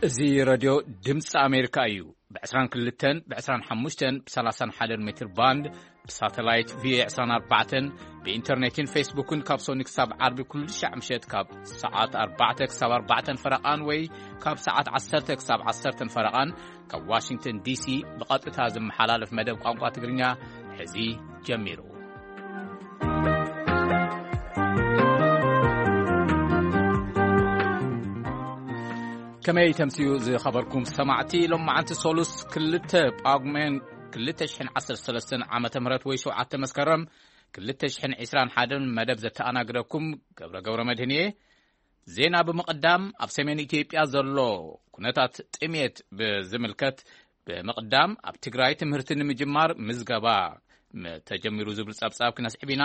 እዚ ረድዮ ድምፂ ኣሜሪካ እዩ። ብ22፣ ብ25፣ ብ31 ሜትር ባንድ፣ ብሳተላይት ቪ24፣ ብኢንተርኔትን ፌስቡክን ካብ ሶኒ ክሳብ ዓርቢ ኩሉ ሻዕ ምሸት ካብ ሰዓት ኣርባዕተ ክሳብ ኣርባዕተን ፈረቓን ወይ ካብ ሰዓት ዓሰርተ ክሳብ ዓሰርተን ፈረቓን ካብ ዋሽንግተን ዲሲ ብቐጥታ ዝመሓላለፍ መደብ ቋንቋ ትግርኛ ሕዚ ጀሚሩ። ከመይ ተምስዩ ዝኸበርኩም ሰማዕቲ? ሎም መዓንቲ ሶሉስ ክልተ ጳጉሜን ክልተ ሽሕን ዓሰርተ ሰለስተን ዓመተ ምህረት ወይ ሸውዓተ መስከረም ክልተ ሽሕን ዕስራን ሓደን መደብ ዘተኣናግደኩም ገብረ ገብረ መድህን እየ። ዜና ብምቕዳም፣ ኣብ ሰሜን ኢትዮጵያ ዘሎ ኩነታት ጥሜት ብዝምልከት ብምቕዳም፣ ኣብ ትግራይ ትምህርቲ ንምጅማር ምዝገባ ም-፣ ተጀሚሩ ዝብል ጸብጻብ ክነስዕብ ኢና።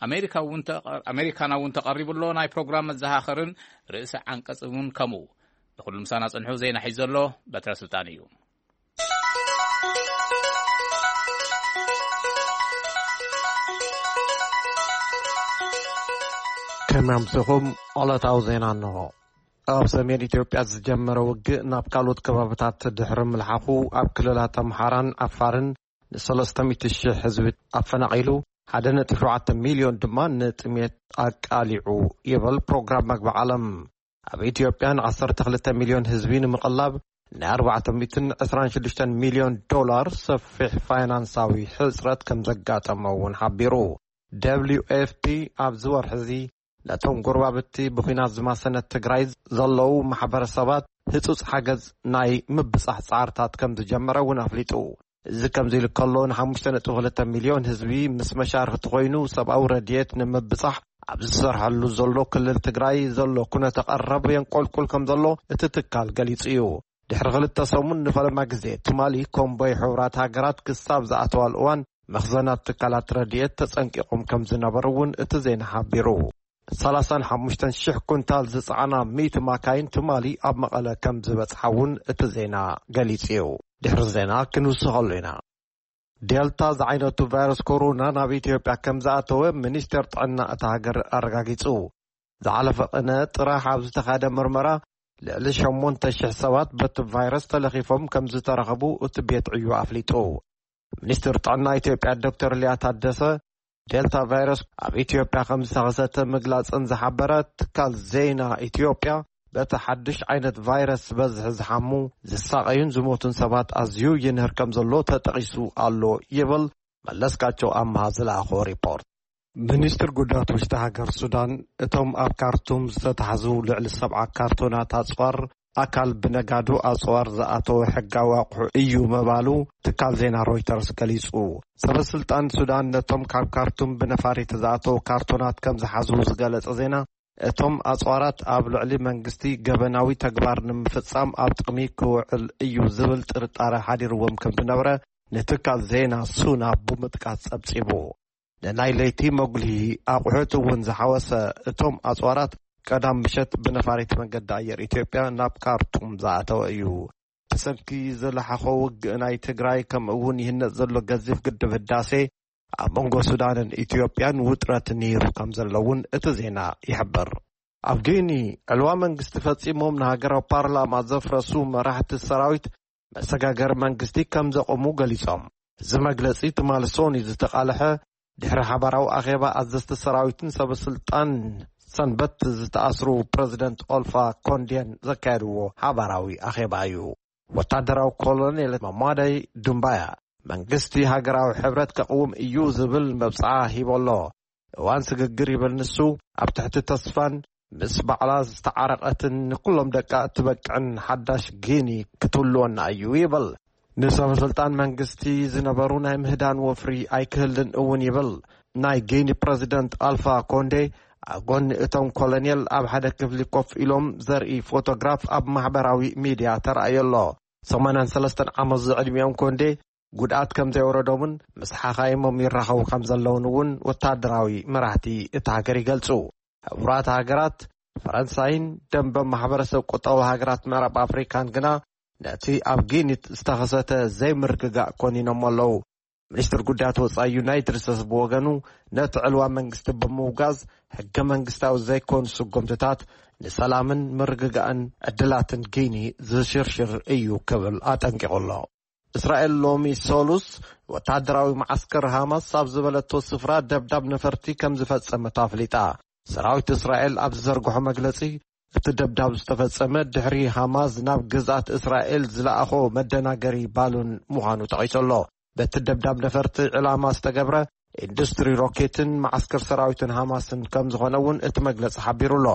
ኣሜሪካ እውን ተቐ-፣ ኣሜሪካና እውን ተቐሪቡ ኣሎ። ናይ ፕሮግራም መዘኻኸርን ርእሰ ዓንቀጽ እውን ከምኡ። ንኹሉ ምሳና ጽንሑ። ዜና ሒዙ ዘሎ በትረ ስልጣን እዩ። ከመይ ኣምሲኹም? ዕለታዊ ዜና እንሆ። ኣብ ሰሜን ኢትዮጵያ ዝጀመረ ውግእ ናብ ካልኦት ከባብታት ድሕሪ ምልሓኹ፣ ኣብ ክልላት ኣምሓራን ዓፋርን ንሰለስተ ሚእቲ ሺሕ ህዝቢ ኣፈናቒሉ፣ ሓደ ነጥቢ ሸውዓተ ሚልዮን ድማ ንጥሜት ኣቃሊዑ ይብል ፕሮግራም መግቢ ዓለም። ኣብ ኢትዮጵያ ን12 ሚልዮን ህዝቢ ንምቕላብ ናይ ኣርባዕተ ሚእትን ዕስራን ሽዱሽተን ሚልዮን ዶላር ሰፊሕ ፋይናንሳዊ ሕጽረት ከም ዘጋጠመ እውን ሓቢሩ። ደብሊው ኤፍ ፒ ኣብዚ ወርሒ እዚ ነቶም ጎረባብቲ ብኲናት ዝማሰነት ትግራይ ዘለዉ ማሕበረሰባት ህጹጽ ሓገዝ ናይ ምብጻሕ ጻዕርታት ከም ዝጀመረ እውን ኣፍሊጡ። እዚ ከምዚ ኢሉ ከሎ፣ ን5.2 ሚልዮን ህዝቢ ምስ መሻርኽቲ ኮይኑ ሰብኣዊ ረድኤት ንምብጻሕ ኣብ ዝሰርሐሉ ዘሎ ክልል ትግራይ ዘሎ ኩነተ ቀረብ የንቆልቁል ከም ዘሎ እቲ ትካል ገሊጹ እዩ። ድሕሪ ክልተ ሰሙን ንፈለማ ግዜ ትማሊ ኮምቦይ ሕቡራት ሃገራት ክሳብ ዝኣተዋል እዋን መኽዘናት ትካላት ረድኤት ተጸንቂቖም ከም ዝነበሩ እውን እቲ ዜና ሓቢሩ። 35,000 ኩንታል ዝጸዓና ሚእቲ ማካይን ትማሊ ኣብ መቐለ ከም ዝበጽሓ እውን እቲ ዜና ገሊጹ እዩ። ድሕሪ ዜና ክንውስኸሉ ኢና። ዴልታ ዝዓይነቱ ቫይረስ ኮሮና ናብ ኢትዮጵያ ከም ዝኣተወ ሚኒስቴር ጥዕና እታ ሃገር ኣረጋጊጹ። ዝሓለፈ ቅነ ጥራሕ ኣብ ዝተኻየደ ምርመራ ልዕሊ ሸሞንተ ሽሕ ሰባት በቲ ቫይረስ ተለኺፎም ከም ዝተረኸቡ እቲ ቤት ዕዩ ኣፍሊጡ። ሚኒስትር ጥዕና ኢትዮጵያ ዶክተር ሊያ ታደሰ፣ ዴልታ ቫይረስ ኣብ ኢትዮጵያ ከም ዝተኸሰተ ምግላጽን ዝሓበረ ትካል ዜና ኢትዮጵያ፣ በቲ ሓድሽ ዓይነት ቫይረስ ብዝሒ ዝሓሙ፣ ዝሳቐዩን ዝሞቱን ሰባት ኣዝዩ ይንህር ከም ዘሎ ተጠቒሱ ኣሎ ይብል መለስካቸው ኣምሃ ዝለኣኾ ሪፖርት። ሚኒስትር ጉዳያት ውሽጢ ሃገር ሱዳን፣ እቶም ኣብ ካርቱም ዝተታሕዙ ልዕሊ ሰብዓ ካርቶናት ኣጽዋር ኣካል ብነጋዶ ኣጽዋር ዝኣተወ ሕጋዊ ኣቑሑ እዩ ምባሉ ትካል ዜና ሮይተርስ ገሊጹ። ሰበ ስልጣን ሱዳን ነቶም ካብ ካርቱም ብነፋሪት ዝኣተዉ ካርቶናት ከም ዝሓዙ ዝገለጸ ዜና፣ እቶም ኣጽዋራት ኣብ ልዕሊ መንግስቲ ገበናዊ ተግባር ንምፍጻም ኣብ ጥቕሚ ክውዕል እዩ ዝብል ጥርጣረ ሓዲርዎም ከም ዝነበረ ንትካል ዜና ሱና ብምጥቃስ ጸብጺቡ። ንናይ ለይቲ መጉልሂ ኣቑሑት እውን ዝሓወሰ፣ እቶም ኣጽዋራት ቀዳም ምሸት ብነፋሪት መንገዲ ኣየር ኢትዮጵያ ናብ ካርቱም ዝኣተወ እዩ። ብሰንኪ ዝለሓኾ ውግእ ናይ ትግራይ፣ ከምኡ እውን ይህነጽ ዘሎ ገዚፍ ግድብ ህዳሴ፣ ኣብ መንጎ ሱዳንን ኢትዮጵያን ውጥረት ነይሩ ከም ዘሎ እውን እቲ ዜና ይሕብር። ኣብ ጊኒ፣ ዕልዋ መንግስቲ ፈጺሞም ንሃገራዊ ፓርላማ ዘፍረሱ መራሕቲ ሰራዊት መሰጋገሪ መንግስቲ ከም ዘቖሙ ገሊጾም። እዚ መግለጺ ትማሊ ሶኒ ዝተቓልሐ ድሕሪ ሓባራዊ ኣኼባ ኣዘዝቲ ሰራዊትን ሰበ ስልጣን ሰንበት ዝተኣስሩ ፕረዚደንት ኦልፋ ኮንዴን ዘካየድዎ ሓባራዊ ኣኼባ እዩ። ወታደራዊ ኮሎኔል መማዳይ ዱምባያ፣ መንግስቲ ሃገራዊ ሕብረት ከቕውም እዩ ዝብል መብጽዓ ሂቡ ኣሎ። እዋን ስግግር ይብል ንሱ፣ ኣብ ትሕቲ ተስፋን ምስ ባዕላ ዝተዓረቐትን ንኩሎም ደቃ እትበቅዕን ሓዳሽ ጊኒ ክትህልወና እዩ ይብል። ንሰበ ስልጣን መንግስቲ ዝነበሩ ናይ ምህዳን ወፍሪ ኣይክህልን እውን ይብል። ናይ ጊኒ ፕረዚደንት ኣልፋ ኮንዴ ኣብ ጎኒ እቶም ኮሎኔል ኣብ ሓደ ክፍሊ ኮፍ ኢሎም ዘርኢ ፎቶግራፍ ኣብ ማሕበራዊ ሚድያ ተራእዮ ኣሎ። ሰማንያን ሰለስተን ዓመት ዝዕድሚኦም ኮንዴ ጉድኣት ከም ዘይወረዶምን ምስ ሓኻይሞም ይራኸቡ ከም ዘለውን እውን ወታደራዊ መራሕቲ እታ ሃገር ይገልጹ። ሕቡራት ሃገራት፣ ፈረንሳይን ደንበ ማሕበረሰብ ቁጠባዊ ሃገራት ምዕራብ ኣፍሪካን ግና ነቲ ኣብ ጊኒት ዝተኸሰተ ዘይምርግጋእ ኮኒኖም ኣለዉ። ሚኒስትር ጉዳያት ወጻኢ ዩናይትድ ስቴትስ ብወገኑ፣ ነቲ ዕልዋ መንግስቲ ብምውጋዝ፣ ሕገ መንግስታዊ ዘይኮኑ ስጉምትታት ንሰላምን ምርግጋእን ዕድላትን ጊኒ ዝሽርሽር እዩ ክብል ኣጠንቂቑ ኣሎ። እስራኤል ሎሚ ሰሉስ ወተሃደራዊ መዓስከር ሃማስ ኣብ ዝበለቶ ስፍራ ደብዳብ ነፈርቲ ከም ዝፈጸመት ኣፍሊጣ። ሰራዊት እስራኤል ኣብ ዝዘርግሖ መግለጺ፣ እቲ ደብዳብ ዝተፈጸመ ድሕሪ ሃማስ ናብ ግዝኣት እስራኤል ዝለኣኾ መደናገሪ ባሉን ምዃኑ ጠቒሱ ኣሎ። በቲ ደብዳብ ነፈርቲ ዕላማ ዝተገብረ ኢንዱስትሪ ሮኬትን መዓስከር ሰራዊትን ሃማስን ከም ዝኾነ እውን እቲ መግለጺ ሓቢሩ ኣሎ።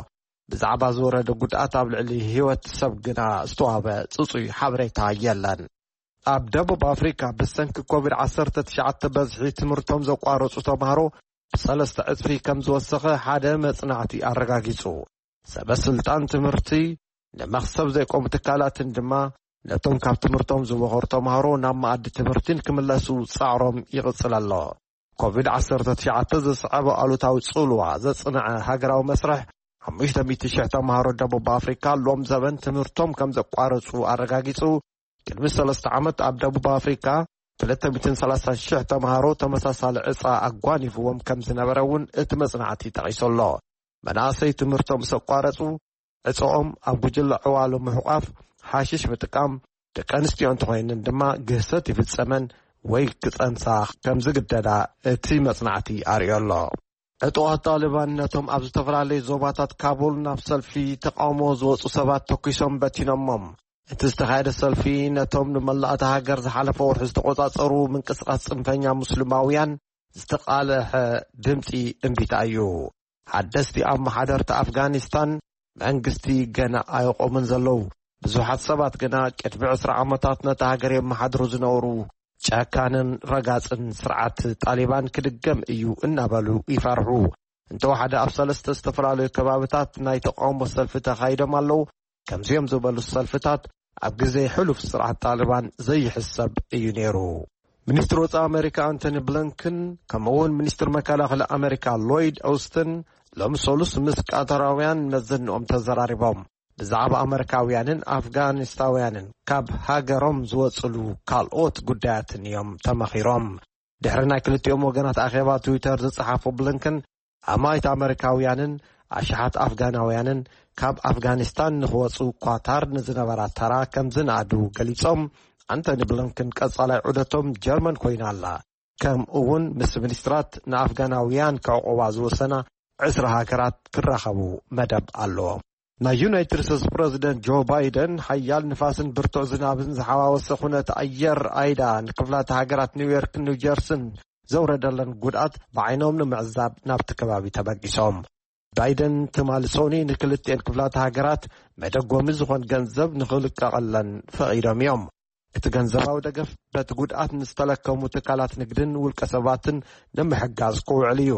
ብዛዕባ ዝወረደ ጉድኣት ኣብ ልዕሊ ህይወት ሰብ ግና ዝተዋህበ ጽጹይ ሓበሬታ የለን። ኣብ ደቡብ ኣፍሪካ ብሰንኪ ኮቪድ ዓሰርተ ትሽዓተ በዝሒ ትምህርቶም ዘቋረጹ ተምሃሮ ብሰለስተ ዕጽፊ ከም ዝወሰኸ ሓደ መጽናዕቲ ኣረጋጊጹ። ሰበ ስልጣን ትምህርቲ ንመኽሰብ ዘይቆሙ ትካላትን ድማ ነቶም ካብ ትምህርቶም ዝወኸሩ ተምሃሮ ናብ መኣዲ ትምህርቲ ንክምለሱ ጻዕሮም ይቕጽል ኣሎ። ኮቪድ ዓሰርተ ትሽዓተ ዘስዓቦ ኣሉታዊ ጽልዋ ዘጽንዐ ሃገራዊ መስርሕ ሓሙሽተ ሚእቲ ሽሕ ተምሃሮ ደቡብ ኣፍሪካ ሎም ዘበን ትምህርቶም ከም ዘቋረጹ ኣረጋጊጹ። ቅድሚ ሰለስተ ዓመት ኣብ ደቡብ ኣፍሪካ ክልተ ሚእትን ሰላሳን ሽሕ ተምሃሮ ተመሳሳሊ ዕጻ ኣጓኒፍዎም ከም ዝነበረ እውን እቲ መጽናዕቲ ጠቒሱ ኣሎ። መናእሰይ ትምህርቶም ምስ ኣቋረጹ፣ ዕጻኦም ኣብ ጉጅለ ዕዋሉ ምሕቋፍ፣ ሓሽሽ ምጥቃም፣ ደቂ ኣንስትዮ እንተኾይነን ድማ ግህሰት ይፍጸመን ወይ ክጸንሳ ከም ዝግደዳ እቲ መጽናዕቲ ኣርእዮ ኣሎ። ዕጡቓት ጣሊባን ነቶም ኣብ ዝተፈላለዩ ዞባታት ካቡል ናብ ሰልፊ ተቃውሞ ዝወጹ ሰባት ተኲሶም በቲኖሞም። እቲ ዝተኻየደ ሰልፊ ነቶም ንመላእ እታ ሃገር ዝሓለፈ ወርሒ ዝተቖጻጸሩ ምንቅስቓስ ጽንፈኛ ሙስሊማውያን ዝተቓልሐ ድምጺ እምቢታ እዩ። ሓደስቲ ኣመሓደርቲ ኣፍጋኒስታን መንግስቲ ገና ኣይቆሙን ዘለዉ። ብዙሓት ሰባት ግና ቅድሚ ዕስራ ዓመታት ነታ ሃገር የመሓድሩ ዝነበሩ ጨካንን ረጋጽን ስርዓት ጣሊባን ክድገም እዩ እናበሉ ይፈርሑ። እንተወሓደ ኣብ ሰለስተ ዝተፈላለዩ ከባብታት ናይ ተቃውሞ ሰልፊ ተኻይዶም ኣለዉ። ከምዚኦም ዝበሉ ሰልፍታት ኣብ ግዜ ሕሉፍ ስርዓት ጣሊባን ዘይሕሰብ እዩ ነይሩ። ሚኒስትሪ ወጻኢ ኣሜሪካ ኣንቶኒ ብሊንከን፣ ከምኡ እውን ሚኒስትሪ መከላኸሊ ኣሜሪካ ሎይድ ኦስትን ሎም ሰሉስ ምስ ቃታራውያን መዘንኦም ተዘራሪቦም። ብዛዕባ ኣመሪካውያንን ኣፍጋኒስታውያንን ካብ ሃገሮም ዝወጽሉ ካልኦት ጉዳያትን እዮም ተመኺሮም። ድሕሪ ናይ ክልቲኦም ወገናት ኣኼባ ትዊተር ዝጸሓፉ ብሊንከን፣ ኣማኢት ኣመሪካውያንን ኣሽሓት ኣፍጋናውያንን ካብ ኣፍጋኒስታን ንኽወጹ ኳታር ንዝነበራ ተራ ከም ዝነኣዱ ገሊጾም። ኣንቶኒ ብሊንከን ቀጻላይ ዑደቶም ጀርመን ኮይና ኣላ። ከምኡ እውን ምስ ሚኒስትራት ንኣፍጋናውያን ክዕቆባ ዝወሰና ዕስራ ሃገራት ክራኸቡ መደብ ኣለዎም። ናይ ዩናይትድ ስቴትስ ፕረዚደንት ጆ ባይደን ሓያል ንፋስን ብርቱዕ ዝናብን ዝሓዋወሰ ኩነት ኣየር ኣይዳ ንክፍላተ ሃገራት ኒውዮርክን ኒውጀርስን ዘውረደለን ጉድኣት ብዓይኖም ንምዕዛብ ናብቲ ከባቢ ተበጊሶም። ባይደን ትማሊ ሶኒ ንክልቲኤን ክፍላተ ሃገራት መደጎሚ ዝኾን ገንዘብ ንኽልቀቐለን ፈቒዶም እዮም። እቲ ገንዘባዊ ደገፍ በቲ ጉድኣት ንዝተለከሙ ትካላት ንግድን ውልቀ ሰባትን ንምሕጋዝ ክውዕል እዩ።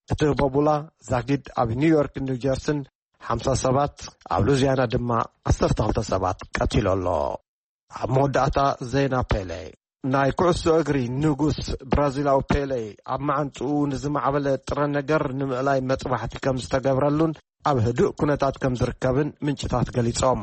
እቲ ህቦቡላ ዛጊድ ኣብ ኒውዮርክ ኒውጀርስን ሓምሳ ሰባት፣ ኣብ ሉዚያና ድማ ዓሰርተ ክልተ ሰባት ቀቲሉ ኣሎ። ኣብ መወዳእታ ዜና ፔሌ። ናይ ኩዕሶ እግሪ ንጉስ ብራዚላዊ ፔሌ ኣብ መዓንጥኡ ንዝማዕበለ ጥረ ነገር ንምእላይ መጥባሕቲ ከም ዝተገብረሉን ኣብ ህዱእ ኩነታት ከም ዝርከብን ምንጭታት ገሊጾም።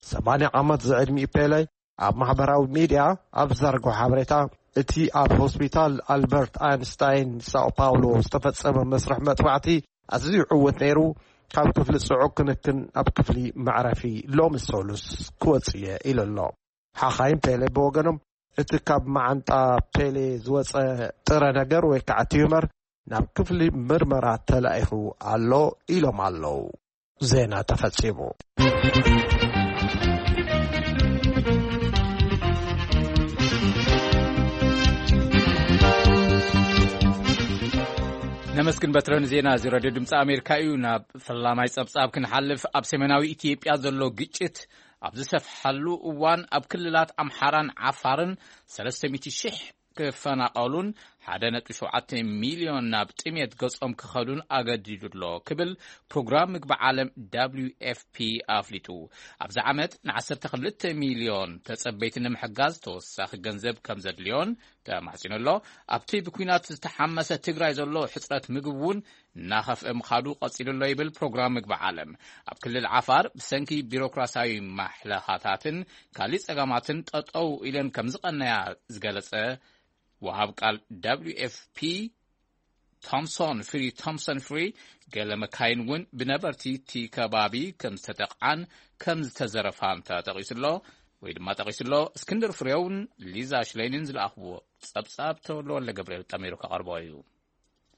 ሰማንያ ዓመት ዝዕድሚኡ ፔሌ ኣብ ማሕበራዊ ሚድያ ኣብ ዘርግሖ ሓበሬታ፣ እቲ ኣብ ሆስፒታል ኣልበርት ኣንስታይን ሳኦ ፓውሎ ዝተፈጸመ መስርሕ መጥባዕቲ ኣዝዩ ዕዉት ነይሩ፣ ካብ ክፍሊ ጽዑቕ ክንክን ናብ ክፍሊ መዕረፊ ሎሚ ሰሉስ ክወጽእ እየ ኢሉ ኣሎ። ሓኻይም ፔሌ ብወገኖም፣ እቲ ካብ መዓንጣ ፔሌ ዝወጸ ጥረ ነገር ወይ ከዓ ቲዩመር ናብ ክፍሊ ምርመራ ተላኢኹ ኣሎ ኢሎም ኣለዉ። ዜና ተፈጺሙ። ነመስግን በትረን ዜና እዚ ረድዮ ድምፂ ኣሜሪካ እዩ። ናብ ፈላማይ ጸብጻብ ክንሓልፍ፣ ኣብ ሰሜናዊ ኢትዮጵያ ዘሎ ግጭት ኣብ ዝሰፍሐሉ እዋን ኣብ ክልላት ኣምሓራን ዓፋርን ሰለስተ ሚእቲ ሺሕ ክፈናቐሉን ሓደ ነጥቢ ሸውዓተ ሚልዮን ናብ ጥሜት ገጾም ክኸዱን ኣገዲዱ ኣሎ ክብል ፕሮግራም ምግቢ ዓለም ደብሊው ኤፍ ፒ ኣፍሊጡ። ኣብዚ ዓመት ንዓሰርተ ክልተ ሚልዮን ተጸበይቲ ንምሕጋዝ ተወሳኺ ገንዘብ ከም ዘድልዮን ተማሕጺኑ ኣሎ። ኣብቲ ብኲናት ዝተሓመሰ ትግራይ ዘሎ ሕጽረት ምግቢ እውን እናኸፍአ ምኻዱ ቀጺሉ ኣሎ ይብል ፕሮግራም ምግቢ ዓለም። ኣብ ክልል ዓፋር ብሰንኪ ቢሮክራሲያዊ ማሕለኻታትን ካሊእ ጸገማትን ጠጠው ኢለን ከም ዝቐነያ ዝገለጸ ወሃብ ቃል ደብሊው ኤፍ ፒ ቶምሶን ፍሪ፣ ቶምሰን ፍሪ፣ ገለ መካይን እውን ብነበርቲ እቲ ከባቢ ከም ዝተጠቕዓን ከም ዝተዘረፋን ተጠቒሱ ኣሎ፣ ወይ ድማ ጠቒሱ ኣሎ። እስክንድር ፍሬውን ሊዛ ሽለይንን ዝለኣኽዎ ጸብጻብ ተወልደ ወልደ ገብርኤል ጠሚሩ ከቐርቦ እዩ።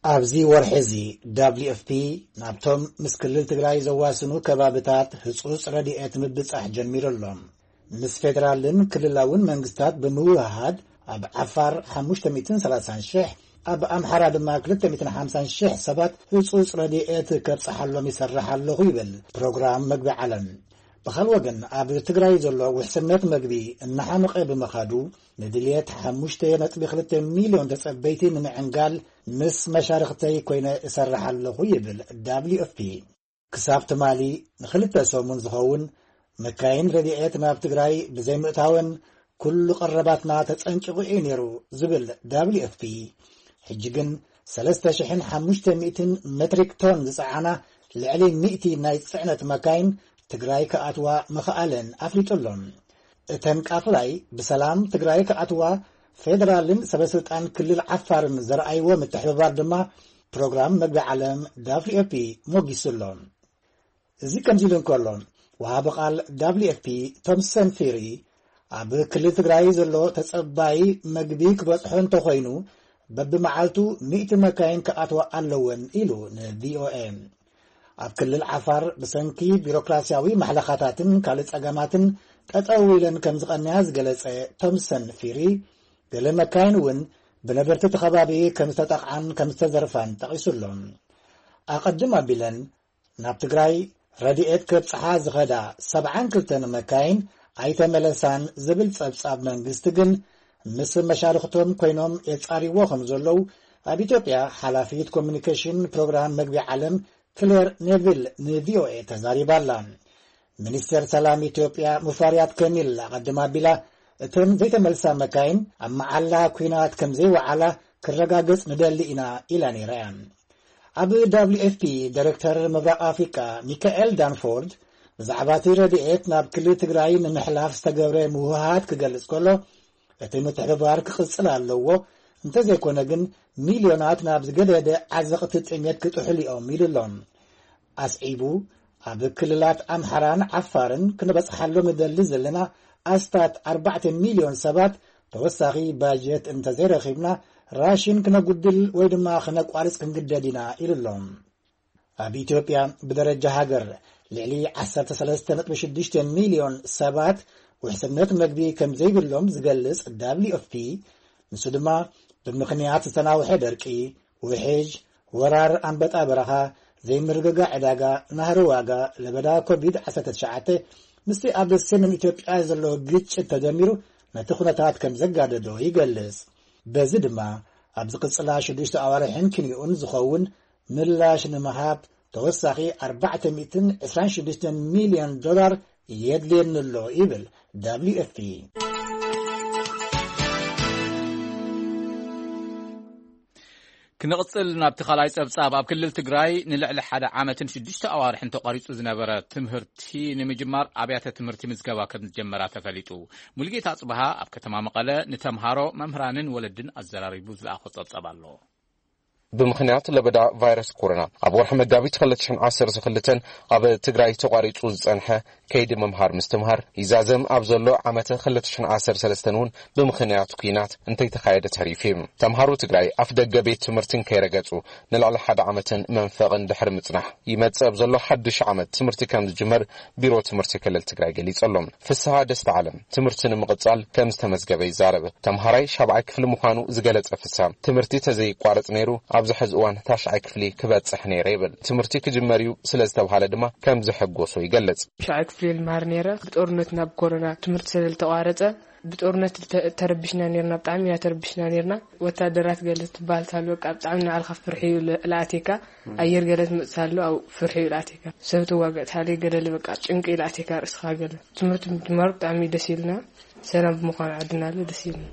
ኣብዚ ወርሒ እዚ ደብሊው ኤፍ ፒ ናብቶም ምስ ክልል ትግራይ ዘዋስኑ ከባብታት ህጹጽ ረድኤት ምብጻሕ ጀሚሩ ኣሎ። ምስ ፌደራልን ክልላውን መንግስታት ብምውህሃድ ኣብ ዓፋር ሓሙሽተ ሚእትን ሰላሳን ሽሕ፣ ኣብ ኣምሓራ ድማ ክልተ ሚእትን ሓምሳን ሽሕ ሰባት ህጹጽ ረድኤት ከብጽሓሎም ይሰርሕ ኣለኹ ይብል ፕሮግራም መግቢ ዓለም። ብኻል ወገን ኣብ ትግራይ ዘሎ ውሕስነት መግቢ እናሓመቐ ብምኻዱ ንድልየት ሓሙሽተ ነጥቢ ክልተ ሚልዮን ተጸበይቲ ንምዕንጋል ምስ መሻርኽተይ ኮይነ እሰርሕ ኣለኹ ይብል ደብሊው ኤፍ ፒ። ክሳብ ትማሊ ንኽልተ ሰሙን ዝኸውን መካይን ረድኤት ናብ ትግራይ ብዘይምእታወን ኩሉ ቀረባትና ተጸንቂቑ እዩ ነይሩ ዝብል ደብሊው ኤፍ ፒ፣ ሕጂ ግን ሰለስተ ሽሕን ሓሙሽተ ሚእትን ሜትሪክ ቶን ዝጸዓና ልዕሊ ሚእቲ ናይ ጽዕነት መካይን ትግራይ ክኣትዋ ምኽኣለን ኣፍሊጡ ኣሎ። እተን ቃፍላይ ብሰላም ትግራይ ክኣትዋ ፌደራልን ሰበስልጣን ክልል ዓፋርን ዘርኣይዎ ምትሕብባር ድማ ፕሮግራም መግቢ ዓለም ደብሊው ኤፍ ፒ ሞጊሱ ኣሎ። እዚ ከምዚ ኢሉ እንከሎ፣ ወሃቢ ቃል ደብሊው ኤፍ ፒ ቶምሰን ፊሪ ኣብ ክልል ትግራይ ዘሎ ተጸባይ መግቢ ክበጽሖ እንተኾይኑ በብመዓልቱ ሚእቲ መካይን ክኣትዋ ኣለወን ኢሉ ንቪኦኤ። ኣብ ክልል ዓፋር ብሰንኪ ቢሮክራሲያዊ ማሕለኻታትን ካልእ ጸገማትን ጠጠው ኢለን ከም ዝቐንያ ዝገለጸ ቶምሰን ፊሪ፣ ገለ መካይን እውን ብነበርቲ እቲ ከባቢ ከም ዝተጠቕዓን ከም ዝተዘርፋን ጠቒሱ ኣሎ። ኣቐድም ኣቢለን ናብ ትግራይ ረድኤት ከብጽሓ ዝኸዳ ሰብዓን ክልተን መካይን ኣይተመለሳን ዝብል ጸብጻብ መንግስቲ ግን ምስ መሻርኽቶም ኮይኖም የጻርይዎ ከም ዘለዉ ኣብ ኢትዮጵያ ሓላፊት ኮሚኒኬሽን ፕሮግራም መግቢ ዓለም ክሌር ኔቪል ንቪኦኤ ተዛሪባ ኣላ። ሚኒስተር ሰላም ኢትዮጵያ ሙፈሪያት ከሚል ኣቐድም ኣቢላ እተን ዘይተመልሳ መካይን ኣብ መዓላ ኲናት ከም ዘይወዓላ ክረጋገጽ ንደሊ ኢና ኢላ ነይራ እያ። ኣብ ደብሊው ኤፍ ፒ ዳይሬክተር ምብራቕ ኣፍሪቃ ሚካኤል ዳንፎርድ ብዛዕባ እቲ ረድኤት ናብ ክልል ትግራይ ንምሕላፍ ዝተገብረ ምውህሃድ ክገልጽ ከሎ፣ እቲ ምትሕብባር ክቕጽል ኣለዎ፣ እንተዘይኮነ ግን ሚልዮናት ናብ ዝገደደ ዓዘቕቲ ጥሜት ክጥሕሉ እዮም ኢሉ ኣሎ። ኣስዒቡ፣ ኣብ ክልላት ኣምሓራን ዓፋርን ክንበጽሓሎም ንደሊ ዘለና ኣስታት ኣርባዕተ ሚልዮን ሰባት ተወሳኺ ባጀት እንተዘይረኺብና ራሽን ክነጉድል ወይ ድማ ክነቋርጽ ክንግደድ ኢና ኢሉ ኣሎ። ኣብ ኢትዮጵያ ብደረጃ ሃገር ልዕሊ ዓሰርተ ሰለስተ ነጥቢ ሽዱሽተ ሚልዮን ሰባት ውሕስነት መግቢ ከም ዘይብሎም ዝገልጽ ደብሊው ኤፍ ፒ፣ ንሱ ድማ ብምኽንያት ዝተናውሐ ደርቂ፣ ውሕጅ፣ ወራር ኣንበጣ በረኻ፣ ዘይምርግጋእ ዕዳጋ፣ ናህሪ ዋጋ፣ ለበዳ ኮቪድ ዓሰርተ ትሽዓተ ምስቲ ኣብ ሰሜን ኢትዮጵያ ዘሎ ግጭት ተደሚሩ ነቲ ኩነታት ከም ዘጋደዶ ይገልጽ። በዚ ድማ ኣብ ዝቕጽላ ሽዱሽተ ኣዋርሕን ክንዮኡን ዝኸውን ምላሽ ንምሃብ ተወሳኺ ኣርባዕተ ሚእትን ዕስራን ሽዱሽተን ሚልዮን ዶላር የድልየኒ ኣሎ ይብል ደብሊው ኤፍ ፒ። ክንቕጽል ናብቲ ካልኣይ ጸብጻብ። ኣብ ክልል ትግራይ ንልዕሊ ሓደ ዓመትን ሽዱሽተ ኣዋርሕን ተቋሪጹ ዝነበረ ትምህርቲ ንምጅማር ኣብያተ ትምህርቲ ምዝገባ ከም ዝጀመራ ተፈሊጡ። ሙሉጌታ ኣጽብሃ ኣብ ከተማ መቐለ ንተምሃሮ፣ መምህራንን ወለድን ኣዘራሪቡ ዝለኣኾ ጸብጻብ ኣሎ። ብምኽንያት ለበዳ ቫይረስ ኮሮና ኣብ ወርሒ መጋቢት ክልተ ሽሕን ዓሰርተ ክልተን ኣብ ትግራይ ተቋሪጹ ዝጸንሐ ከይዲ ምምሃር ምስትምሃር ይዛዘም ኣብ ዘሎ ዓመተ ክልተ ሽሕን ዓሰርተ ሰለስተን እውን ብምኽንያት ኲናት እንተይተኻየደ ተሪፉ እዩ። ተምሃሮ ትግራይ ኣፍ ደገ ቤት ትምህርትን ከይረገጹ ንልዕሊ ሓደ ዓመትን መንፈቕን ድሕሪ ምጽናሕ፣ ይመጽእ ኣብ ዘሎ ሓድሽ ዓመት ትምህርቲ ከም ዝጅመር ቢሮ ትምህርቲ ክልል ትግራይ ገሊጹ ኣሎ። ፍስሃ ደስታ ዓለም ትምህርቲ ንምቕጻል ከም ዝተመዝገበ ይዛረብ። ተምሃራይ ሻብዓይ ክፍሊ ምዃኑ ዝገለጸ ፍስሃ፣ ትምህርቲ ተዘይቋረጽ ነይሩ ኣብዚ ሕዚ እዋን ታሽዓይ ክፍሊ ክበጽሕ ነይረ ይብል። ትምህርቲ ክጅመር እዩ ስለ ዝተብሃለ ድማ ከም ዘሐጎሶ ይገልጽ። ሻብዓይ ክፍሊ ልምሃር ነይረ። ብጦርነት ናብ ኮሮና ትምህርቲ ስለ ዝተቋረጸ ብጦርነት ተ-፣ ተረቢሽና ነይርና፣ ብጣዕሚ ኢና ተረቢሽና ነይርና። ወታደራት ገለ ትበሃል ታሉ በቃ ብጣዕሚ ንባዕልኻ ፍርሒ እዩ ለ-፣ ለኣቴካ። ኣየር ገለ ትመጽእ ታሉ ኣብ ፍርሒ እዩ ለኣቴካ። ሰብ ትዋገእ ታሉ ገለ በቃ ጭንቂ እዩ ለኣቴካ ርእስኻ ገለ። ትምህርቲ ምጅማሩ ብጣዕሚ ደስ ኢልና። ሰላም ብምዃኑ ዓድና ለ ደስ ኢልና።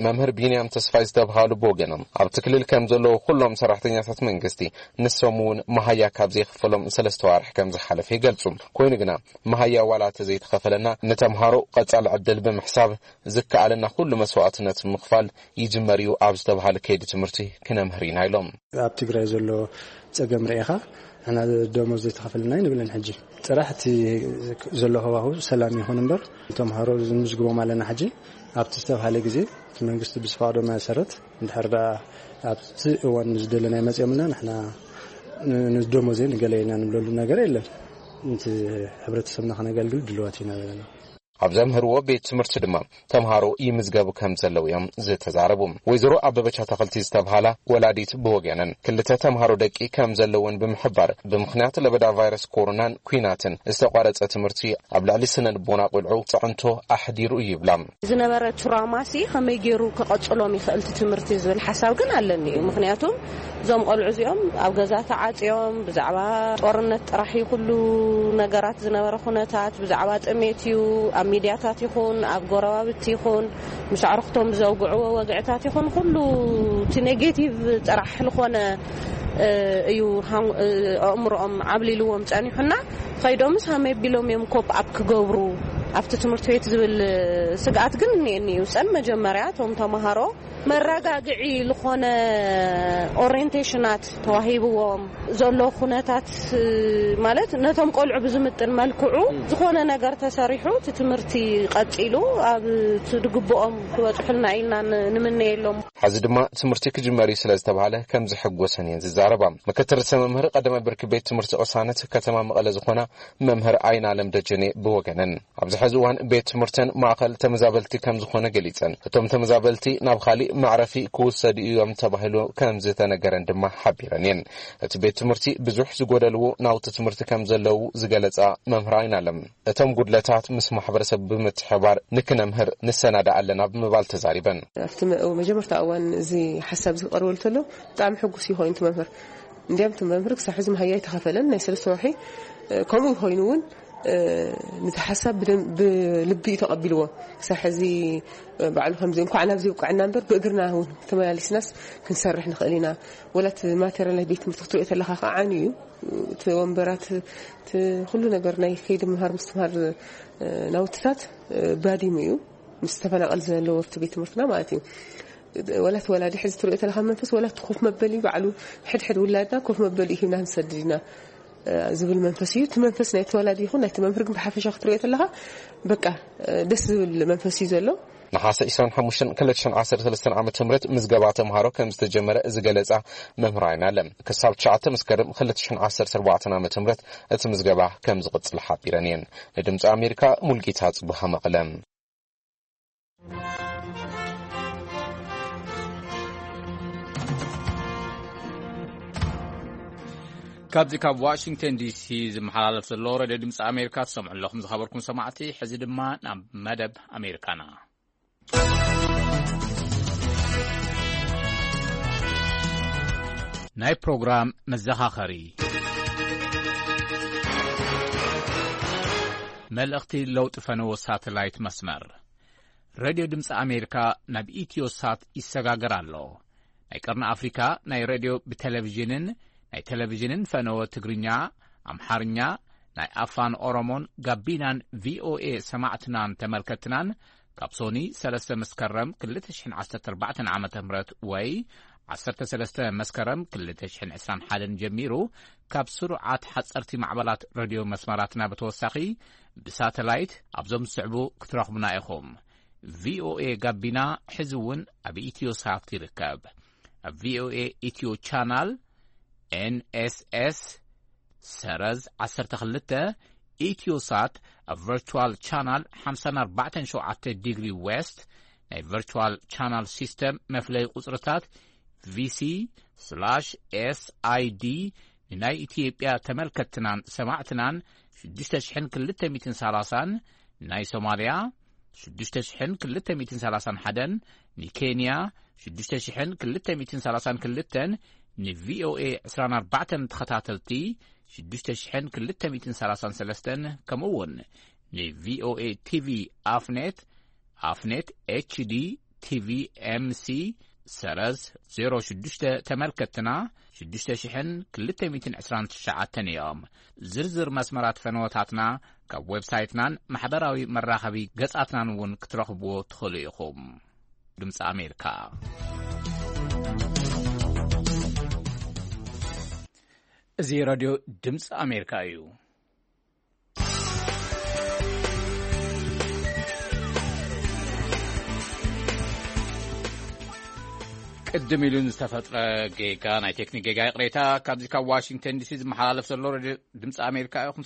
መምህር ቢንያም ተስፋይ ዝተብሃሉ ብወገኖም፣ ኣብቲ ክልል ከም ዘለዉ ኩሎም ሰራሕተኛታት መንግስቲ፣ ንሶም እውን መሃያ ካብ ዘይኽፈሎም ሰለስተ ዋርሕ ከም ዝሓለፈ ይገልጹ። ኮይኑ ግና፣ መሃያ ዋላ እንተ ዘይተኸፈለና፣ ንተምሃሮ ቀጻሊ ዕድል ብምሕሳብ፣ ዝከኣለና ኩሉ መስዋእትነት ምኽፋል ይጅመር እዩ ኣብ ዝተብሃለ ከይዲ ትምህርቲ ክነምህር ኢና ኢሎም። ኣብ ትግራይ ዘሎ ጸገም ርኢኻ፣ ንሕና ደሞዝ ዘይተኸፈለና ኣይንብልን። ሕጂ ጥራሕ እቲ ዘሎ ሃዋህው ሰላም ይኹን እምበር፣ ተምሃሮ ንምዝግቦም ኣለና። ሕጂ ኣብቲ ዝተባህለ ግዜ እቲ መንግስቲ ብዝፈቕዶ መሰረት፣ እንድሕር ደኣ ኣብቲ እዋን ዝደለናዮ መጺኦምና፣ ንሕና ን-፣ ንደሞዜ ንገለ ኢና ንብለሉ ነገር የለን። እቲ ሕብረተሰብና ከነገልግል ድልዋት ኢና ዘለና። ኣብ ዘምህርዎ ቤት ትምህርቲ ድማ ተምሃሮ ይምዝገቡ ከም ዘለዉ እዮም ዝተዛረቡ። ወይዘሮ ኣበበች ኣታኽልቲ ዝተብሃላ ወላዲት ብወገነን፣ ክልተ ተምሃሮ ደቂ ከም ዘለወን ብምሕባር፣ ብምኽንያት ለበዳ ቫይረስ ኮሮናን ኲናትን ዝተቋረጸ ትምህርቲ ኣብ ልዕሊ ስነ ልቦና ቆልዑ ጽዕንቶ ኣሕዲሩ እዩ ይብላ። ዝነበረ ትራማሲ ከመይ ገይሩ ክቐጽሎም ይኽእል እቲ ትምህርቲ ዝብል ሓሳብ ግን ኣለኒ እዩ። ምኽንያቱም እዞም ቆልዑ እዚኦም ኣብ ገዛ ተዓጽዮም ብዛዕባ ጦርነት ጥራሕ እዩ ኩሉ ነገራት ዝነበረ ኩነታት፣ ብዛዕባ ጥሜት እዩ ኣብ ሚድያታት ይኹን ኣብ ጎረባብቲ ይኹን ምስ ኣዕሩኽቶም ዘውግዕዎ ወግዕታት ይኹን ኩሉ እቲ ኔጌቲቭ ጥራሕ ዝኾነ፣ እ፣ እዩ ሃም-፣ እ፣ ኣእምሮኦም ዓብሊልዎም ጸኒሑና። ኸይዶምስ ሃመይ ቢሎም እዮም ኮፕ ኣፕ ክገብሩ ኣብቲ ትምህርቲ ቤት ዝብል ስግኣት ግን እኒኤኒ እዩ። ጸን መጀመርያ እቶም ተምሃሮ መረጋግዒ ዝኾነ ኦሪየንቴሽናት ተዋሂብዎም ዘሎ ኩነታት፣ ማለት ነቶም ቆልዑ ብዝምጥን መልክዑ ዝኾነ ነገር ተሰሪሑ እቲ ትምህርቲ ቀጺሉ ኣብ እቲ ድግብኦም ክበጽሑልና ኢልና ን-፣ ንምነየሎም። ሕዚ ድማ ትምህርቲ ክጅመር እዩ ስለ ዝተባህለ ከም ዝሕጎሰን እየን ዝዛረባ። ምክትል ርእሰ መምህር ቀዳማይ ብርኪ ቤት ትምህርቲ ቅሳነት ከተማ መቐለ ዝኾና መምህር ኣይናለም ደጀኔ ብወገነን፣ ኣብዚ ሕዚ እዋን ቤት ትምህርተን ማእኸል ተመዛበልቲ ከም ዝኾነ ገሊጸን፣ እቶም ተመዛበልቲ ናብ ካሊእ መዕረፊ ክውሰዱ እዮም ተባሂሉ ከም ዝተነገረን ድማ ሓቢረን እየን። እቲ ቤት ትምህርቲ ብዙሕ ዝጎደልዎ ናውቲ ትምህርቲ ከም ዘለዉ ዝገለጻ መምህር ኣይናለም፣ እቶም ጉድለታት ምስ ማሕበረሰብ ብምትሕባር ንክነምህር ንሰናዳእ ኣለና ብምባል ተዛሪበን። ኣብቲ መ-፣ መጀመርታ እዋን እዚ ሓሳብ ዝቐርበሉ ተሎ ብጣዕሚ ሕጉስ እዩ ኮይኑ እቲ መምህር። እንዲያም እቲ መምህር ክሳብ ሕዚ መሃያ ኣይተኸፈለን፣ ናይ ሰለስተ ወርሒ፣ እ፣ ከምኡ ኮይኑ እውን፣ እ፣ ነቲ ሓሳብ ብደም-፣ ብልቢ እዩ ተቐቢልዎ። ክሳብ ሕዚ፣ እ፣ ባዕሉ ከምዚ እንኳዕ ናብዚ ይብቅዐና እምበር ብእግርና እውን ተመላሊስናስ ክንሰርሕ ንኽእል ኢና። ወላ እቲ ማቴሪያል ናይ ቤት ትምህርቲ ክትሪኦ ተለኻ ከዓ ዓንዩ እዩ። እቲ ወንበራት፣ እቲ ኩሉ ነገር ናይ ከይዲ ምምሃር ምስትምሃር፣ እ፣ ናውትታት፣ እ፣ ባዲሙ እዩ። ምስ ተፈናቐል ዝነበረ እቲ ቤት ትምህርትና ማለት እዩ። ወላ እቲ ወላዲ ሕዚ ትሪኦ ተለኻ መንፈስ፣ ወላ እቲ ኮፍ መበሊ ባዕሉ ሕድሕድ ውላድና ኮፍ መበሊ ሂብና ንሰድድ ኢና፣ እ፣ ዝብል መንፈስ እዩ። እቲ መንፈስ ናይቲ ወላዲ ይኹን ናይቲ መምህር ግን ብሓፈሻ ክትሪኦ ተለኻ በቃ፣ እ፣ ደስ ዝብል መንፈስ እዩ ዘሎ። ነሓሰ ዕስራን ሓሙሽተን ክልተ ሽሕን ዓሰርተ ሰለስተን ዓመተ ምህረት ምዝገባ ተምሃሮ ከም ዝተጀመረ ዝገለጻ መምህር ኣይናለም፣ ክሳብ ትሽዓተ መስከረም ክልተ ሽሕን ዓሰርተ ኣርባዕተን ዓመተ ምህረት እቲ ምዝገባ ከም ዝቕጽል ሓቢረን እየን። ንድምጺ ኣሜሪካ ሙልጌታ ጽቡሃ መቐለ። ካብዚ ካብ ዋሽንግተን ዲሲ ዝመሓላለፍ ዘሎ ሬድዮ ድምፂ ኣሜሪካ ትሰምዑ ኣለኹም ዝኸበርኩም ሰማዕቲ። ሕዚ ድማ ናብ መደብ ኣሜሪካና። ናይ ፕሮግራም መዘኻኸሪ። መልእኽቲ ለውጢ ፈነዎ ሳተላይት መስመር። ሬድዮ ድምፂ ኣሜሪካ ናብ ኢትዮሳት ይሰጋገር ኣሎ። ናይ ቀርኒ ኣፍሪካ ናይ ሬድዮ ብቴሌቪዥንን ናይ ቴሌቪዥንን ፈነወ ትግርኛ፣ ኣምሓርኛ፣ ናይ ኣፋን ኦሮሞን ጋቢናን ቪኦኤ ሰማዕትናን ተመልከትናን ካብ ሶኒ ሰለስተ መስከረም ክልተ ሽሕን ዓሰርተ ኣርባዕተን ዓመተ ምህረት ወይ ዓሰርተ ሰለስተ መስከረም ክልተ ሽሕን ዕስራን ሓደን ጀሚሩ ካብ ስሩዓት ሓፀርቲ ማዕበላት ሬድዮ መስመራትና ብተወሳኺ ብሳተላይት ኣብዞም ዝስዕቡ ክትረኽቡና ኢኹም። ቪኦኤ ጋቢና ሕዚ እውን ኣብ ኢትዮሳት ይርከብ። ኣብ ቪኦኤ ኢትዮ ቻናል ኤንኤስኤስ ሰረዝ ዓሰርተ ክልተ፣ ኢትዮሳት ኣብ ቨርቹዋል ቻናል ሓምሳን ኣርባዕተን ሸውዓተ ዲግሪ ዌስት፣ ናይ ቨርቹዋል ቻናል ሲስተም መፍለይ ቁጽርታት ቪሲ ስላሽ ኤስኣይዲ፣ ንናይ ኢትዮጵያ ተመልከትናን ሰማዕትናን ሽዱሽተ ሽሕን ክልተ ሚእትን ሰላሳን፣ ንናይ ሶማልያ ሽዱሽተ ሽሕን ክልተ ሚእትን ሰላሳን ሓደን፣ ንኬንያ ሽዱሽተ ሽሕን ክልተ ሚእትን ሰላሳን ክልተን፣ ንቪኦኤ ዕስራን ኣርባዕተን ተኸታተልቲ ሽዱሽተ ሽሕን ክልተ ሚእትን ሰላሳን ሰለስተን፣ ከምኡ እውን ንቪኦኤ ቲቪ ኣፍኔት፣ ኣፍኔት ኤችዲ ቲ ቪ ኤም ሲ ሰረዝ ዜሮ ሽዱሽተ ተመልከትና ሽዱሽተ ሽሕን ክልተ ሚእትን ዕስራን ትሽዓተን እዮም። ዝርዝር መስመራት ፈነወታትና ካብ ዌብሳይትናን ማሕበራዊ መራኸቢ ገጻትናን እውን ክትረኽብዎ ትኽእሉ ኢኹም። ድምፂ ኣሜሪካ። እዚ ሬድዮ ድምፂ ኣሜሪካ እዩ። ቅድም ኢሉ ዝተፈጥረ ጌጋ፣ ናይ ቴክኒክ ጌጋ፣ ይቕሬታ። ካብዚ ካብ ዋሽንግተን ዲሲ ዝመሓላለፍ ዘሎ ሬድዮ ድምፂ ኣሜሪካ ኢኹም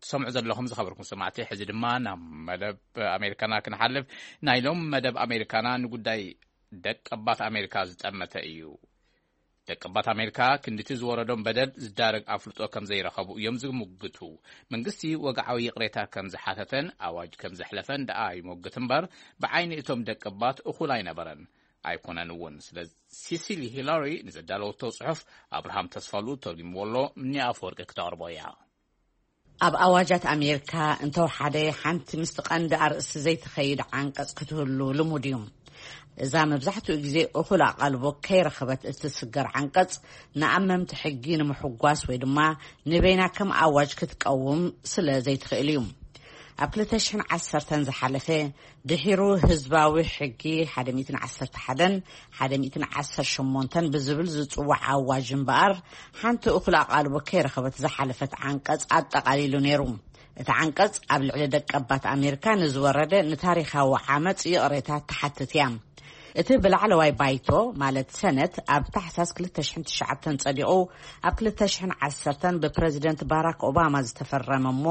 ትሰምዑ ዘለኹም። ዝኸበርኩም ሰማዕቲ፣ ሕዚ ድማ ናብ መደብ ኣሜሪካና ክንሓልፍ። ናይ ሎም መደብ ኣሜሪካና ንጉዳይ ደቀባት ኣሜሪካ ዝጠመተ እዩ። ደቀባት ኣሜሪካ ክንድቲ ዝወረዶም በደል ዝዳረግ ኣፍልጦ ከም ዘይረኸቡ እዮም ዝምግቱ። መንግስቲ ወግዓዊ ይቕሬታ ከም ዝሓተተን ኣዋጅ ከም ዘሕለፈን ደኣ ይሞግት እምበር፣ ብዓይኒ እቶም ደቀባት እኹል ኣይነበረን ኣይኮነን እውን። ስለ ሲሲሊ ሂላሪ ንዘዳለወቶ ጽሑፍ ኣብርሃም ተስፋሉ ተርጉምዎ ኣሎ። ምኒ ኣፈወርቂ ክተቕርቦ እያ። ኣብ ኣዋጃት ኣሜሪካ እንተወሓደ ሓንቲ ምስቲ ቀንዲ ኣርእስቲ ዘይትኸይድ ዓንቀጽ ክትህሉ ልሙድ እዩ። እዛ መብዛሕትኡ ግዜ እኹል ኣቓልቦ ከይረኸበት እትስገር ዓንቀጽ፣ ንኣመምቲ ሕጊ ንምሕጓስ ወይ ድማ ንበይና ከም ኣዋጅ ክትቀውም ስለ ዘይትኽእል እዩ። ኣብ ክልተ ሽሕን ዓሰርተን ዝሓለፈ፣ ድሒሩ ህዝባዊ ሕጊ ሓደ ሚእትን ዓሰርተ ሓደን ሓደ ሚእትን ዓሰርተ ሸሞንተን ብዝብል ዝጽዋዕ ኣዋጅ እምበኣር፣ ሓንቲ እኹል ኣቓልቦ ከይረኸበት ዝሓለፈት ዓንቀጽ ኣጠቓሊሉ ነይሩ። እቲ ዓንቀጽ ኣብ ልዕሊ ደቀባት ኣሜሪካ ንዝወረደ ንታሪኻዊ ዓመጽ ይቕሬታ ትሓትት እያ። እቲ ብላዕለዋይ ባይቶ፣ ማለት ሰነት፣ ኣብ ታሕሳስ ክልተ ሽሕን ትሽዓተን ጸዲቑ፣ ኣብ ክልተ ሽሕን ዓሰርተን ብፕረዚደንት ባራክ ኦባማ ዝተፈረመ እሞ፣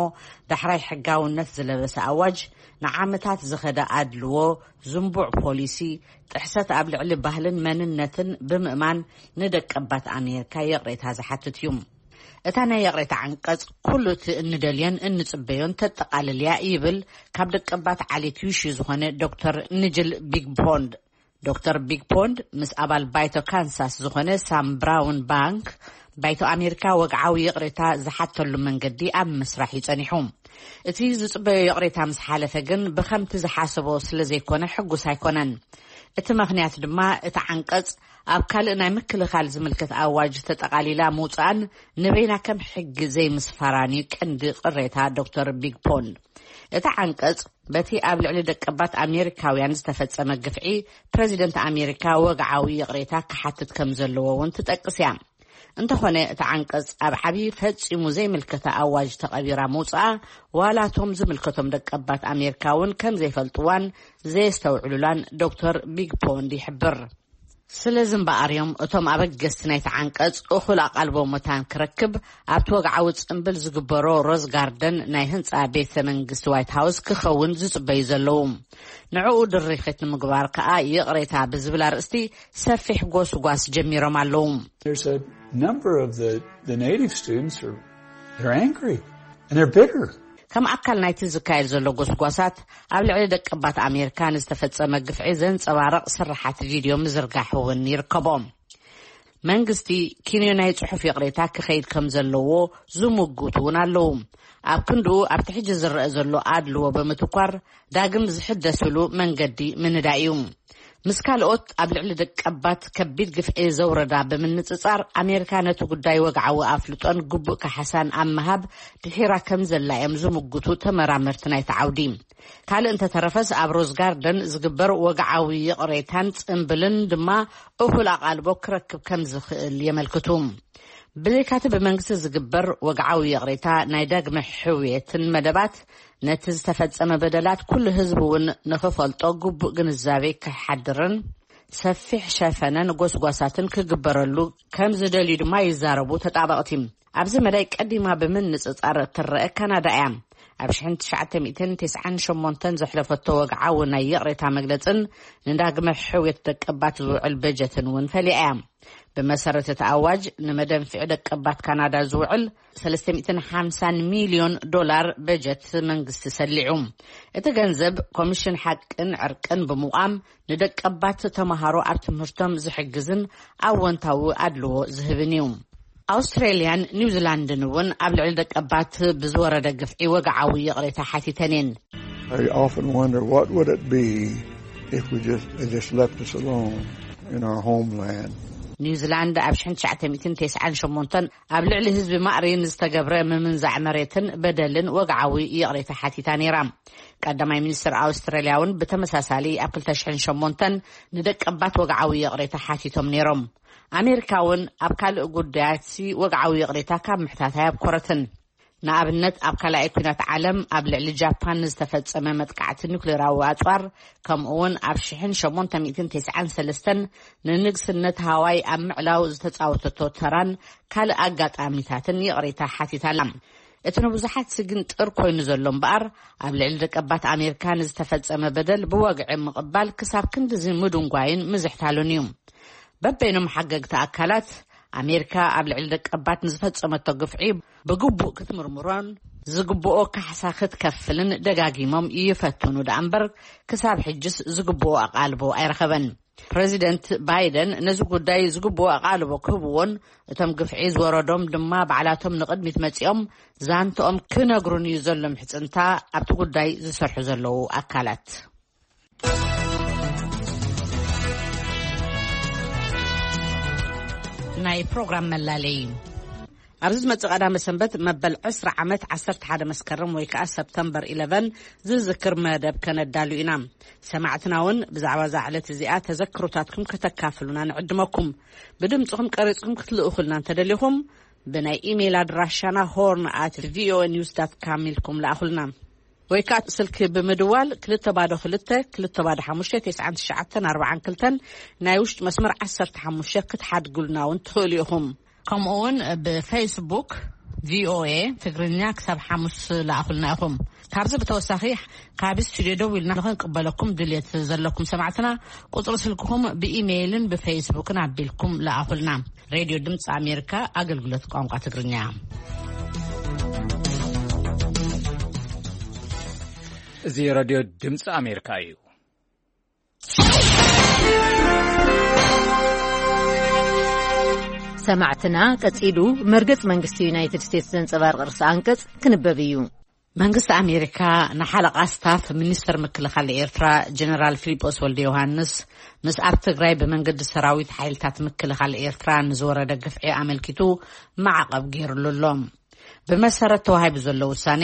ዳሕራይ ሕጋውነት ዝለበሰ ኣዋጅ፣ ንዓመታት ዝኸደ ኣድልዎ፣ ዝንቡዕ ፖሊሲ፣ ጥሕሰት ኣብ ልዕሊ ባህልን መንነትን ብምእማን ንደቀባት ኣሜሪካ ይቕሬታ ዝሓትት እዩ። እታ ናይ ይቕሬታ ዓንቀጽ፣ ኩሉ እቲ እንደልዮን እንጽበዮን ተጠቓልል እያ ይብል ካብ ደቀባት ዓሌት ዩሺ ዝኾነ ዶክተር ንጅል ቢግፖንድ። ዶክተር ቢግፖንድ ምስ ኣባል ባይቶ ካንሳስ ዝኾነ ሳም ብራውን ባንክ፣ ባይቶ ኣሜሪካ ወግዓዊ ይቕሬታ ዝሓተሉ መንገዲ ኣብ ምስራሕ እዩ ጸኒሑ። እቲ ዝጽበዮ ይቕሬታ ምስ ሓለፈ ግን፣ ብኸምቲ ዝሓሰቦ ስለ ዘይኮነ ሕጉስ ኣይኮነን። እቲ ምኽንያት ድማ፣ እቲ ዓንቀጽ ኣብ ካልእ ናይ ምክልኻል ዝምልከት ኣዋጅ ተጠቓሊላ ምውጻኣን ንበይና ከም ሕጊ ዘይምስፋራን እዩ ቀንዲ ቅሬታ ዶክተር ቢግፖንድ። እቲ ዓንቀጽ፣ በቲ ኣብ ልዕሊ ደቀባት ኣሜሪካውያን ዝተፈጸመ ግፍዒ፣ ፕረዚደንት ኣሜሪካ ወግዓዊ ይቕሬታ ክሓትት ከም ዘለዎ እውን ትጠቅስ እያ። እንተኾነ፣ እቲ ዓንቀጽ ኣብ ዓቢ ፈጺሙ ዘይምልከታ ኣዋጅ ተቐቢራ ምውጽኣ፣ ዋላ እቶም ዝምልከቶም ደቀባት ኣሜሪካ እውን ከም ዘይፈልጥዋን ዘየስተውዕሉላን ዶክተር ቢግፖንድ ይሕብር። ስለዚ እምበኣር እዮም እቶም ኣበገስቲ ናይቲ ዓንቀጽ እኹል ኣቓልቦ መታን ክረክብ ኣብቲ ወግዓዊ ጽምብል ዝግበሮ ሮዝ ጋርደን ናይ ህንጻ ቤተ መንግስቲ ዋይት ሃውስ ክኸውን ዝጽበዩ ዘለዉ። ንዕኡ ድርኺት ንምግባር ከኣ ይቕሬታ ብዝብል ኣርእስቲ ሰፊሕ ጎስጓስ ጀሚሮም ኣለዉ። There's a number of the, the native students are, they're angry and they're bitter. ከም ኣካል ናይቲ ዝካየድ ዘሎ ጎስጓሳት፣ ኣብ ልዕሊ ደቀባት ኣሜሪካ ንዝተፈጸመ ግፍዒ ዘንጸባርቕ ስርሓት ቪድዮ ምዝርጋሕ እውን ይርከቦም። መንግስቲ ኪንዮ ናይ ጽሑፍ ይቕሬታ ክኸይድ ከም ዘለዎ ዝምጉቱ እውን ኣለዉ። ኣብ ክንድኡ፣ ኣብቲ ሕጂ ዝረአ ዘሎ ኣድልዎ ብምትኳር፣ ዳግም ዝሕደስሉ መንገዲ ምንዳይ እዩ። ምስ ካልኦት ኣብ ልዕሊ ደቀባት ከቢድ ግፍዒ ዘውረዳ ብምንጽጻር፣ ኣሜሪካ ነቲ ጉዳይ ወግዓዊ ኣፍልጦን ግቡእ ካሕሳን ኣብ ምሃብ ድሒራ ከም ዘላ እዮም ዝምጉቱ ተመራመርቲ ናይቲ ዓውዲ። ካልእ እንተተረፈስ፣ ኣብ ሮዝ ጋርደን ዝግበር ወግዓዊ ይቕሬታን ጽምብልን ድማ እኹል ኣቓልቦ ክረክብ ከም ዝኽእል የመልክቱ። ብዘይካቲ ብመንግስቲ ዝግበር ወግዓዊ ይቕሬታ፣ ናይ ዳግመ ሕውየትን መደባት፣ ነቲ ዝተፈጸመ በደላት ኩሉ ህዝቢ እውን ንኽፈልጦ ግቡእ ግንዛቤ ክሓድርን ሰፊሕ ሸፈነን ጎስጓሳትን ክግበረሉ ከም ዝደልዩ ድማ ይዛረቡ ተጣበቕቲ። ኣብዚ መዳይ ቀዲማ ብምንጽጻር እትረአ ካናዳ እያ። ኣብ ሽሕን ትሽዓተ ሚእትን ተስዓን ሸሞንተን ዘሕለፈቶ ወግዓዊ ናይ ይቕሬታ መግለጽን ንዳግመ ሕውየት ደቀባት ዝውዕል በጀትን እውን ፈሊያ እያ። ብመሰረት እቲ ኣዋጅ፣ ንመደንፍዒ ደቀባት ካናዳ ዝውዕል ሰለስተ ሚእትን ሓምሳን ሚልዮን ዶላር በጀት መንግስቲ ሰሊዑ። እቲ ገንዘብ ኮሚሽን ሓቅን ዕርቅን ብምቋም፣ ንደቀባት ተመሃሮ ኣብ ትምህርቶም ዝሕግዝን ኣወንታዊ ኣድልዎ ዝህብን እዩ። ኣውስትራልያን ኒውዚላንድን እውን ኣብ ልዕሊ ደቀባት ብዝወረደ ግፍዒ ወግዓዊ ይቕሬታ ሓቲተን እየን። I often wonder, what would it be If we just, they just left us alone in our homeland. ኒውዚላንድ ኣብ ሽሕን ትሽዓተ ሚእትን ተስዓን ሸሞንተን ኣብ ልዕሊ ህዝቢ ማእሪን ዝተገብረ ምምንዛዕ መሬትን በደልን ወግዓዊ ይቕሬታ ሓቲታ ነይራ። ቀዳማይ ሚኒስትር ኣውስትራልያ እውን ብተመሳሳሊ ኣብ ክልተ ሽሕን ሸሞንተን ንደቀባት ወግዓዊ ይቕሬታ ሓቲቶም ነይሮም። ኣሜሪካ እውን ኣብ ካልእ ጉዳያት ወግዓዊ ይቕሬታ ካብ ምሕታት ኣየብኮረትን። ንኣብነት ኣብ ካልኣይ ኲናት ዓለም ኣብ ልዕሊ ጃፓን ንዝተፈጸመ መጥቃዕቲ ኒውክሌራዊ ኣጽዋር፣ ከምኡ እውን ኣብ ሽሕን ሸሞንተ ሚእትን ተስዓን ሰለስተን ንንግስነት ሃዋይ ኣብ ምዕላው ዝተጻወተቶ ተራን ካልእ ኣጋጣሚታትን ይቕሬታ ሓቲታ ኣላ። እቲ ንብዙሓት ስግንጥር ኮይኑ ዘሎ እምበኣር፣ ኣብ ልዕሊ ደቀባት ኣሜሪካ ንዝተፈጸመ በደል ብወግዒ ምቕባል ክሳብ ክንድዚ ምድንጓይን ምዝሕታሉን እዩ። በበይኖም ሓገግቲ ኣካላት፣ ኣሜሪካ ኣብ ልዕሊ ደቀባት ንዝፈጸመቶ ግፍዒ ብግቡእ ክትምርምሮን ዝግብኦ ካሕሳ ክትከፍልን ደጋጊሞም ይፈትኑ ደኣ እምበር፣ ክሳብ ሕጅስ ዝግብኦ ኣቓልቦ ኣይረኸበን። ፕረዚደንት ባይደን ነዚ ጉዳይ ዝግብኦ ኣቓልቦ ክህብዎን እቶም ግፍዒ ዝወረዶም ድማ ባዕላቶም ንቕድሚት መጺኦም ዛንትኦም ክነግሩን እዩ ዘሎ ምሕጽንታ ኣብቲ ጉዳይ ዝሰርሑ ዘለዉ ኣካላት። ናይ ፕሮግራም መላለይ። ኣብዚ ዝመጽእ ቀዳመ ሰንበት መበል ዕስራ ዓመት ዓሰርተ ሓደ መስከረም ወይ ከኣ ሰፕተምበር ኢለቨን ዝዝክር መደብ ከነዳሉ ኢና። ሰማዕትና እውን ብዛዕባ እዛ ዕለት እዚኣ ተዘክሮታትኩም ከተካፍሉና ንዕድመኩም። ብድምጽኹም ቀሪጽኩም ክትልእኹልና እንተደሊኹም፣ ብናይ ኢሜይል ኣድራሻና ሆርን ኣት ቪኦኤ ኒውስ ዳት ካም ኢልኩም ለኣኹልና። ወይ ከኣ ስልኪ ብምድዋል ክልተ ባዶ ክልተ፣ ክልተ ባዶ ሓሙሽተ፣ ተስዓን ትሽዓተን ኣርባዓን ክልተን ናይ ውሽጢ መስመር ዓሰርተ ሓሙሽተ ክትሓድጉልና እውን ትኽእሉ ኢኹም። ከምኡ እውን ብፌስቡክ ቪኦኤ ትግርኛ ክሳብ ሓሙስ ለኣኹልና ኢኹም። ካብዚ ብተወሳኺ ካብ ስቱድዮ ደው ኢልና ንኽንቅበለኩም ድልየት ዘለኩም ሰማዕትና፣ ቁጽሪ ስልክኹም ብኢሜይልን ብፌስቡክን ኣቢልኩም ለኣኹልና። ሬድዮ ድምፂ ኣሜሪካ ኣገልግሎት ቋንቋ ትግርኛ። እዚ ሬድዮ ድምፂ ኣሜሪካ እዩ። ሰማዕትና፣ ቀጺሉ መርገጽ መንግስቲ ዩናይትድ ስቴትስ ዘንጸባርቕ ርእሰ ኣንቀጽ ክንበብ እዩ። መንግስቲ ኣሜሪካ ንሓለቓ ስታፍ ሚኒስተር ምክልኻል ኤርትራ ጀነራል ፊሊጶስ ወልደ ዮሃንስ፣ ምስ ኣብ ትግራይ ብመንገዲ ሰራዊት ሓይልታት ምክልኻል ኤርትራ ንዝወረደ ግፍዒ ኣመልኪቱ ማዕቐብ ገይሩሉ ኣሎ። ብመሰረት ተዋሂቡ ዘሎ ውሳኔ፣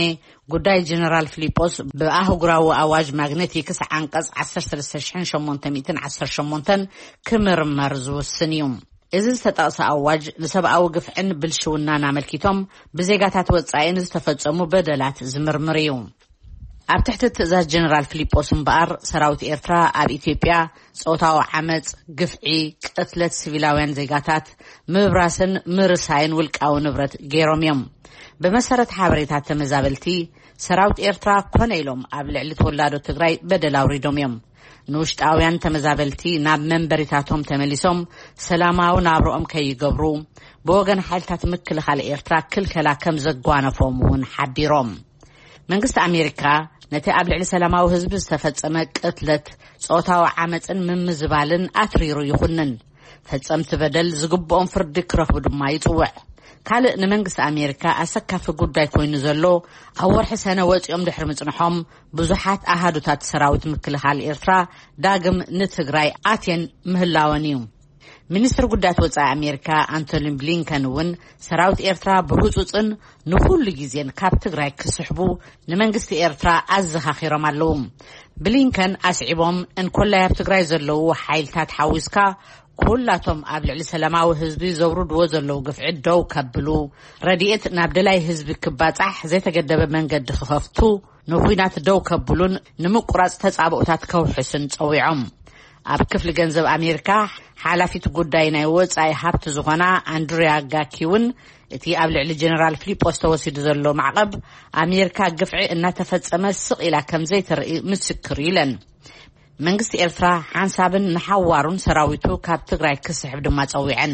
ጉዳይ ጀነራል ፊሊጶስ ብኣህጉራዊ ኣዋጅ ማግነቲክስ ዓንቀጽ ዓሰርተ ሰለስተ ሽሕን ሸሞንተ ሚእትን ዓሰርተ ሸሞንተን ክምርመር ዝውስን እዩ። እዚ ዝተጠቕሰ ኣዋጅ ንሰብኣዊ ግፍዕን ብልሽውናን ኣመልኪቶም ብዜጋታት ወጻኢ ንዝተፈጸሙ በደላት ዝምርምር እዩ። ኣብ ትሕቲ ትእዛዝ ጀነራል ፊሊጶስ እምበኣር፣ ሰራዊት ኤርትራ ኣብ ኢትዮጵያ ጾታዊ ዓመጽ፣ ግፍዒ፣ ቅትለት ሲቪላውያን ዜጋታት፣ ምብራስን ምርሳይን ውልቃዊ ንብረት ገይሮም እዮም። ብመሰረት ሓበሬታ ተመዛበልቲ፣ ሰራዊት ኤርትራ ኮነ ኢሎም ኣብ ልዕሊ ተወላዶ ትግራይ በደል ኣውሪዶም እዮም። ንውሽጣውያን ተመዛበልቲ ናብ መንበሪታቶም ተመሊሶም ሰላማዊ ናብርኦም ከይገብሩ ብወገን ሓይልታት ምክልኻል ኤርትራ ክልከላ ከም ዘጓነፎም እውን ሓቢሮም። መንግስቲ ኣሜሪካ ነቲ ኣብ ልዕሊ ሰላማዊ ህዝቢ ዝተፈጸመ ቅትለት፣ ጾታዊ ዓመጽን ምምዝባልን ኣትሪሩ ይኹንን። ፈጸምቲ በደል ዝግብኦም ፍርዲ ክረኽቡ ድማ ይጽውዕ። ካልእ ንመንግስቲ ኣሜሪካ ኣሰካፊ ጉዳይ ኮይኑ ዘሎ፣ ኣብ ወርሒ ሰነ ወጺኦም ድሕሪ ምጽንሖም ብዙሓት ኣሃዱታት ሰራዊት ምክልኻል ኤርትራ ዳግም ንትግራይ ኣትየን ምህላወን እዩ። ሚኒስትር ጉዳያት ወጻኢ ኣሜሪካ ኣንቶኒ ብሊንከን እውን ሰራዊት ኤርትራ ብህጹጽን ንኹሉ ግዜን ካብ ትግራይ ክስሕቡ ንመንግስቲ ኤርትራ ኣዘኻኺሮም ኣለዉ። ብሊንከን ኣስዒቦም፣ እንኮላይ ኣብ ትግራይ ዘለዉ ሓይልታት ሓዊስካ ኩላቶም ኣብ ልዕሊ ሰላማዊ ህዝቢ ዘውርድዎ ዘለዉ ግፍዒ ደው ከብሉ፣ ረድኤት ናብ ደላይ ህዝቢ ክባጻሕ ዘይተገደበ መንገዲ ክኸፍቱ፣ ንኹናት ደው ከብሉን ንምቁራጽ ተጻብኦታት ከውሕሱን ጸዊዖም። ኣብ ክፍሊ ገንዘብ ኣሜሪካ ሓላፊት ጉዳይ ናይ ወጻኢ ሃብቲ ዝኾና ኣንድሪያ ጋኪ እውን፣ እቲ ኣብ ልዕሊ ጀነራል ፊሊጶስ ተወሲዱ ዘሎ ማዕቐብ ኣሜሪካ ግፍዒ እናተፈጸመ ስቕ ኢላ ከም ዘይትርኢ ምስክር እዩ ኢለን። መንግስቲ ኤርትራ ሓንሳብን ንሓዋሩን ሰራዊቱ ካብ ትግራይ ክስሕብ ድማ ጸዊዐን።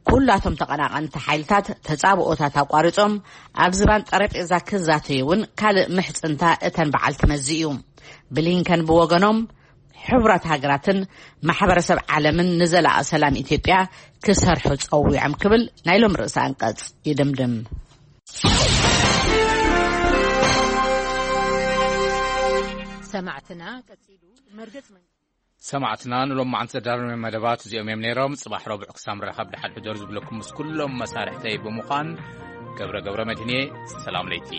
ኩላቶም ተቐናቐንቲ ሓይልታት ተጻብኦታት ኣቋሪጾም ኣብ ዝባን ጠረጴዛ ክዛተዩ እውን ካልእ ምሕጽንታ እተን በዓልቲ መዚ እዩ። ብሊንከን ብወገኖም፣ ሕቡራት ሃገራትን ማሕበረሰብ ዓለምን ንዘላቒ ሰላም ኢትዮጵያ ክሰርሑ ጸዊዖም ክብል ናይ ሎም ርእሰ ኣንቀጽ ይድምድም። ሰማዕትና፣ ቀጺሉ መርገጽ መንግስቲ ሰማዕትና ንሎማዓንቲ ዘዳለናዮም መደባት እዚኦም እዮም ነይሮም። ጽባሕ ረቡዕ ክሳብ ንራኸብ ደሓን ሕደሩ ዝብለኩም ምስ ኩሎም መሳርሕተይ ብምዃን ገብረ ገብረ መድህን እየ። ሰላም ለይቲ።